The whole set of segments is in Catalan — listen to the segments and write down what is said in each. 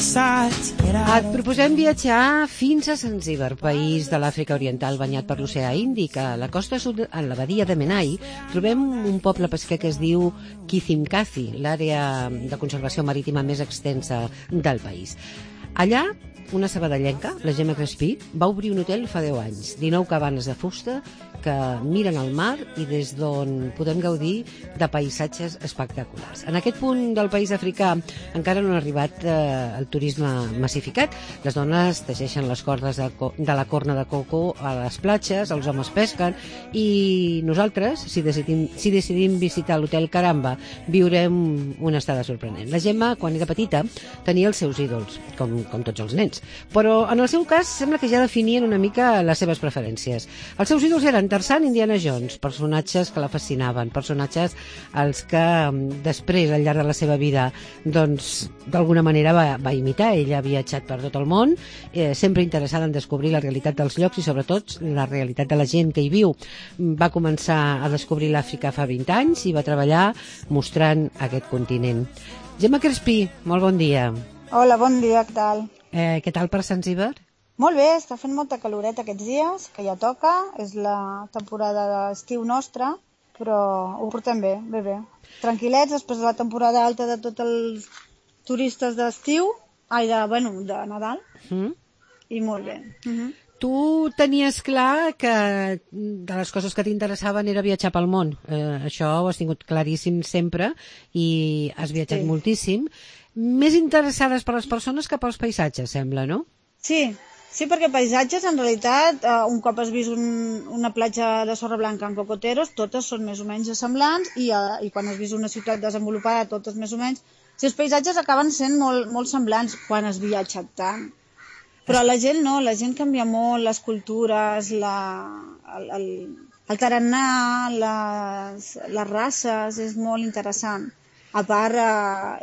Et proposem viatjar fins a Zanzíbar, país de l'Àfrica Oriental banyat per l'oceà Índic. A la costa sud, en la badia de Menai, trobem un poble pesquer que es diu Kizimkazi, l'àrea de conservació marítima més extensa del país. Allà, una sabadellenca, la Gemma Crespí, va obrir un hotel fa 10 anys, 19 cabanes de fusta que miren al mar i des d'on podem gaudir de paisatges espectaculars. En aquest punt del país africà encara no ha arribat el turisme massificat. Les dones teixeixen les cordes de la corna de coco a les platges, els homes pesquen i nosaltres, si decidim visitar l'hotel Caramba, viurem una estada sorprenent. La Gemma, quan era petita, tenia els seus ídols, com tots els nens, però en el seu cas sembla que ja definien una mica les seves preferències. Els seus ídols eren Tarzan i Indiana Jones, personatges que la fascinaven, personatges als que després, al llarg de la seva vida, doncs, d'alguna manera va imitar. Ella ha viatjat per tot el món, sempre interessada en descobrir la realitat dels llocs i sobretot la realitat de la gent que hi viu. Va començar a descobrir l'Àfrica fa 20 anys i va treballar mostrant aquest continent. Gemma Crespí, molt bon dia. Hola, bon dia, què tal? Què tal per Zanzíbar? Molt bé, està fent molta caloreta aquests dies, que ja toca, és la temporada d'estiu nostra, però ho portem bé, bé. Tranquil·lets, després de la temporada alta de tots els turistes d'estiu, de Nadal, i molt bé. Tu tenies clar que de les coses que t'interessaven era viatjar pel món. Això ho has tingut claríssim sempre i has viatjat moltíssim. Més interessades per les persones que pels paisatges, sembla, no? Sí, perquè paisatges, en realitat, un cop has vist una platja de sorra blanca en cocoteros, totes són més o menys semblants, i quan has vist una ciutat desenvolupada, totes més o menys. Si els paisatges acaben sent molt semblants quan has viatjat tant. Però la gent no, la gent canvia molt, les cultures, el tarannà, les races, és molt interessant. A part,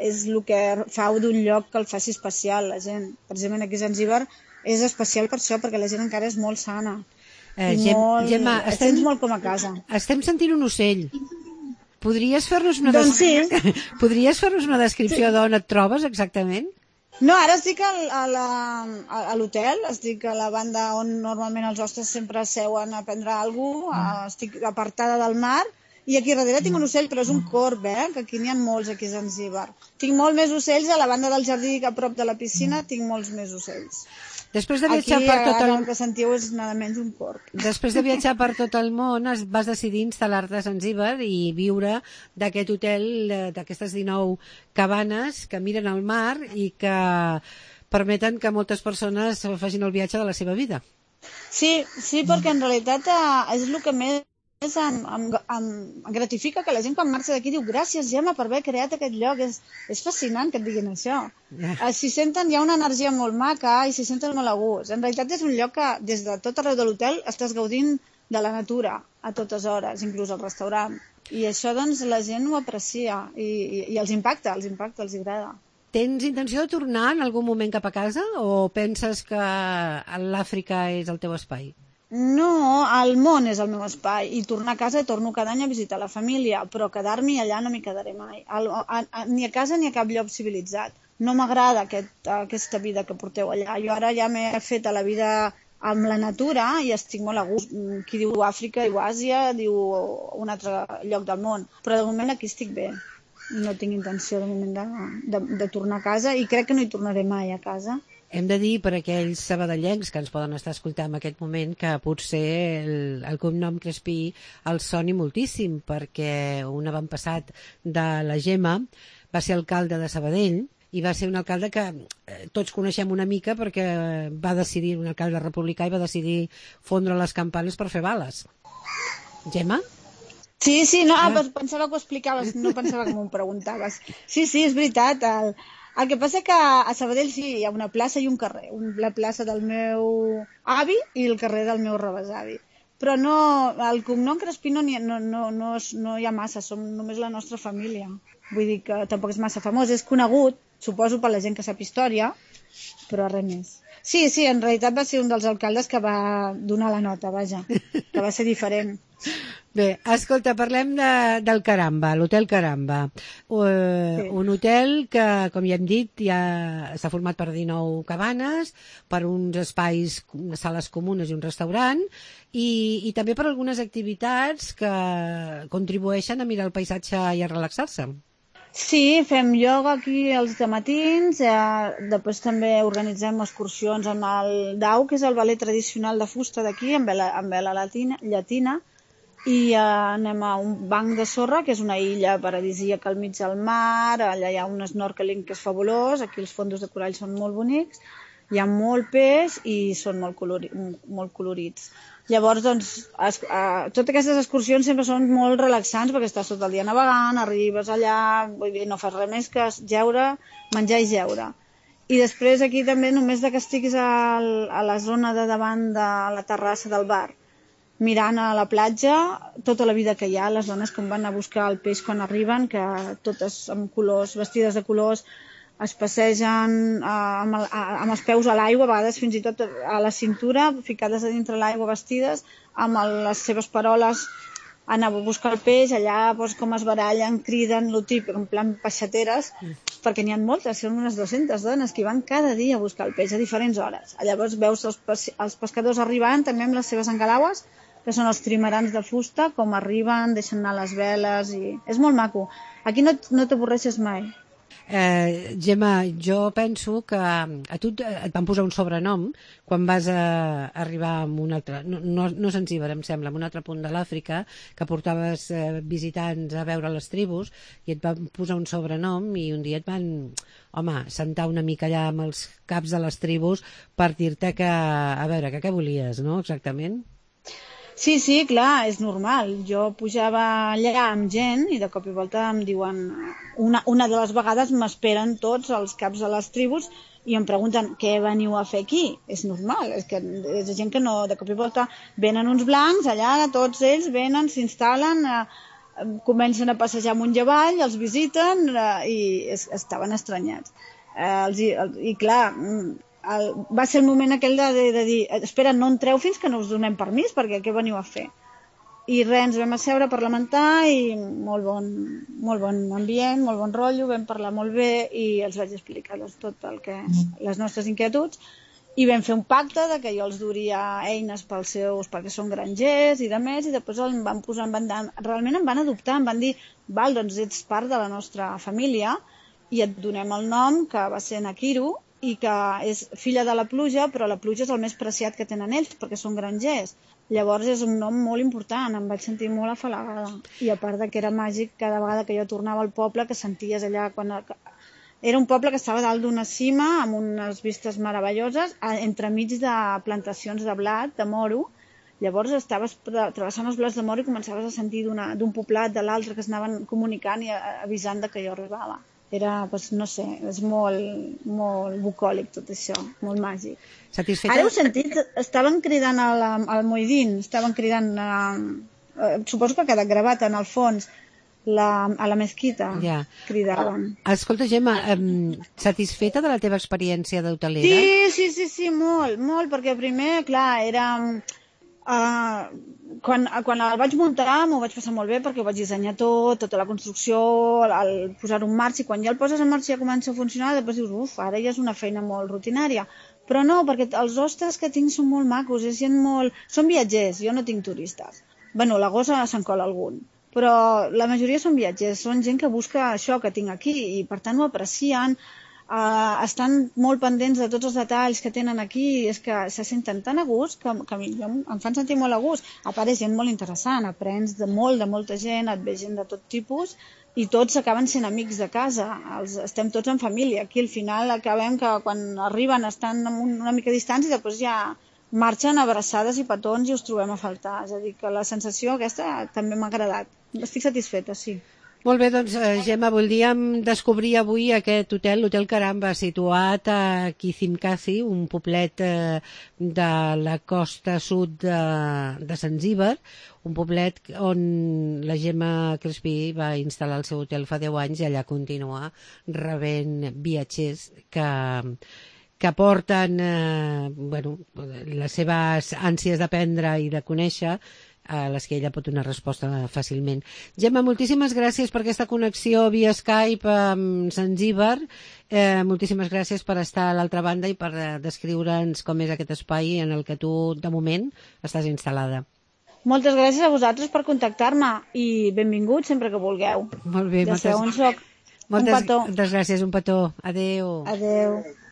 és el que fa d'un lloc que el faci especial, la gent. Precisament aquí a Zanzíbar és especial per això, perquè la gent encara és molt sana. Gemma, et sents molt com a casa. Estem sentint un ocell. Podries fer-nos una descripció d'on et trobes exactament? No, ara estic a l'hotel, estic a la banda on normalment els hostes sempre seuen a prendre alguna cosa, estic apartada del mar, i aquí darrere tinc un ocell, però és un corb, que aquí n'hi ha molts aquí a Zanzíbar. Tinc molt més ocells, a la banda del jardí, a prop de la piscina, tinc molts més ocells. Després de viatjar per tot el que sentiu és nada menys un corb. Després de viatjar per tot el món, vas decidir instal·lar-te a Zanzíbar i viure d'aquest hotel, d'aquestes 19 cabanes que miren al mar i que permeten que moltes persones facin el viatge de la seva vida. Sí, perquè en realitat és el que més em gratifica, que la gent quan marxa d'aquí diu gràcies, Gemma, per haver creat aquest lloc. És fascinant que et diguin això. S'hi senten, hi ha una energia molt maca i s'hi senten molt a gust. En realitat és un lloc que des de tot arreu de l'hotel estàs gaudint de la natura a totes hores, inclús al restaurant. I això doncs la gent ho aprecia i els impacta, els agrada. Tens intenció de tornar en algun moment cap a casa o penses que l'Àfrica és el teu espai? No, el món és el meu espai i tornar a casa i torno cada any a visitar la família, però quedar-m'hi allà no m'hi quedaré mai, ni a casa ni a cap lloc civilitzat. No m'agrada aquesta vida que porteu allà. Jo ara ja m'he fet a la vida amb la natura i estic molt a gust. Qui diu Àfrica diu Àsia, diu un altre lloc del món, però de moment aquí estic bé. No tinc intenció de moment de tornar a casa i crec que no hi tornaré mai a casa. Hem de dir per aquells sabadellencs que ens poden estar escoltant en aquest moment que potser el cognom Crespí els soni moltíssim, perquè un avantpassat de la Gemma va ser alcalde de Sabadell i va ser un alcalde que tots coneixem una mica perquè va decidir, un alcalde republicà, i va decidir fondre les campanes per fer bales. Gemma? Sí, no, pensava que ho explicaves, no pensava que m'ho preguntaves. Sí, és veritat, el que passa que a Sabadell sí, hi ha una plaça i un carrer, la plaça del meu avi i el carrer del meu rebesavi. Però no, el cognom Crespí no hi ha massa, som només la nostra família. Vull dir que tampoc és massa famós, és conegut, suposo per la gent que sap història, però res més. Sí, en realitat va ser un dels alcaldes que va donar la nota, vaja, que va ser diferent. Bé, escolta, parlem del Caramba, l'Hotel Caramba. Sí. Un hotel que, com ja hem dit, ja està format per 19 cabanes, per uns espais, unes sales comunes i un restaurant, i també per algunes activitats que contribueixen a mirar el paisatge i a relaxar-se. Sí, fem ioga aquí els dematins, després també organitzem excursions amb el dau, que és el ballet tradicional de fusta d'aquí, amb vela llatina, i anem a un banc de sorra, que és una illa paradisíaca al mig del mar, allà hi ha un snorkeling que és fabulós, aquí els fondos de corall són molt bonics, hi ha molt peix i són molt colorits. Llavors, doncs, totes aquestes excursions sempre són molt relaxants perquè estàs tot el dia navegant, arribes allà, vull dir, no fas res més que jeure, menjar i jeure. I després aquí també, només que estiguis a la zona de davant de la terrassa del bar, mirant a la platja, tota la vida que hi ha, les dones que van a buscar el peix quan arriben, que totes amb colors, vestides de colors, es passegen amb els peus a l'aigua, a vegades fins i tot a la cintura, ficades a dintre l'aigua vestides, amb les seves paroles anar a buscar el peix, allà doncs, com es barallen, criden, lo típic, en plan peixateres, perquè n'hi ha moltes, són unes 200 dones que van cada dia a buscar el peix a diferents hores. Llavors veus els pescadors arribant també amb les seves engalaues, que són els trimarans de fusta, com arriben, deixen anar les veles, i és molt maco. Aquí no t'avorreixes mai. Gemma, jo penso que a tu et van posar un sobrenom quan vas arribar a un altre, no Zanzíbar, em sembla, a un altre punt de l'Àfrica, que portaves visitants a veure les tribus, i et van posar un sobrenom, i un dia et van, sentar una mica allà amb els caps de les tribus per dir-te que, a veure, què volies, no?, exactament? Sí, clar, és normal. Jo pujava allà amb gent i de cop i volta em diuen... Una de les vegades m'esperen tots els caps de les tribus i em pregunten què veniu a fer aquí. És normal, és que és gent que no... De cop i volta venen uns blancs allà, tots ells venen, s'instal·len, comencen a passejar amunt i avall, els visiten i estaven estranyats. I clar... va ser el moment aquell de dir espera, no entreu fins que no us donem permís perquè què veniu a fer? I res, ens vam asseure a parlamentar i molt bon ambient, molt bon rotllo, vam parlar molt bé i els vaig explicar tot el que les nostres inquietuds i vam fer un pacte de que jo els duria eines perquè són grangers i de més, i després em van posar, realment em van adoptar, em van dir val, doncs ets part de la nostra família i et donem el nom, que va ser Nakiru, i que és filla de la pluja, però la pluja és el més preciat que tenen ells, perquè són grangers. Llavors és un nom molt important, em vaig sentir molt afalagada. I a part de que era màgic, cada vegada que jo tornava al poble, que senties allà... Era un poble que estava dalt d'una cima, amb unes vistes meravelloses, entremig de plantacions de blat, de moro. Llavors estaves travessant els blats de moro i començaves a sentir d'un poblat de l'altre que es anaven comunicant i avisant que jo arribava. Era, no sé, és molt bucòlic tot això, molt màgic. Satisfeta? Ara heu sentit, estaven cridant al Moidín, estaven cridant, suposo que ha quedat gravat en el fons, a la mesquita, cridaven. Escolta, Gemma, satisfeta de la teva experiència d'hotelera? Sí, molt, perquè primer, clar, era... Quan el vaig muntar m'ho vaig passar molt bé perquè ho vaig dissenyar tota la construcció, el posar-ho en marxa, i quan ja el poses en marxa i ja comença a funcionar, després dius, ara ja és una feina molt rutinària. Però no, perquè els hostes que tinc són molt macos, és gent molt... Són viatgers, jo no tinc turistes. Bueno, a l'agost se'n cola algun, però la majoria són viatgers, són gent que busca això que tinc aquí i per tant ho aprecien, estan molt pendents de tots els detalls que tenen aquí, és que se senten tan a gust que em fan sentir molt a gust. A part és gent molt interessant, aprens de molta gent, et ve gent de tot tipus i tots acaben sent amics de casa, estem tots en família. Aquí al final acabem que quan arriben estan una mica distants i després ja marxen abraçades i petons i us trobem a faltar. És a dir, que la sensació aquesta també m'ha agradat. Estic satisfeta, sí. Molt bé, doncs, Gemma, voldríem descobrir avui aquest hotel, l'Hotel Caramba, situat a Kizimkazi, un poblet de la costa sud de Zanzíbar, un poblet on la Gemma Crespí va instal·lar el seu hotel fa 10 anys i allà continua rebent viatgers que porten les seves ànsies d'aprendre i de conèixer a les que ella pot donar resposta fàcilment. Gemma, moltíssimes gràcies per aquesta connexió via Skype amb Zanzíbar. Moltíssimes gràcies per estar a l'altra banda i per descriure'ns com és aquest espai en el que tu, de moment, estàs instal·lada. Moltes gràcies a vosaltres per contactar-me i benvinguts sempre que vulgueu. Molt bé, ja sabeu on soc. Moltes gràcies, un petó. Adéu. Adéu.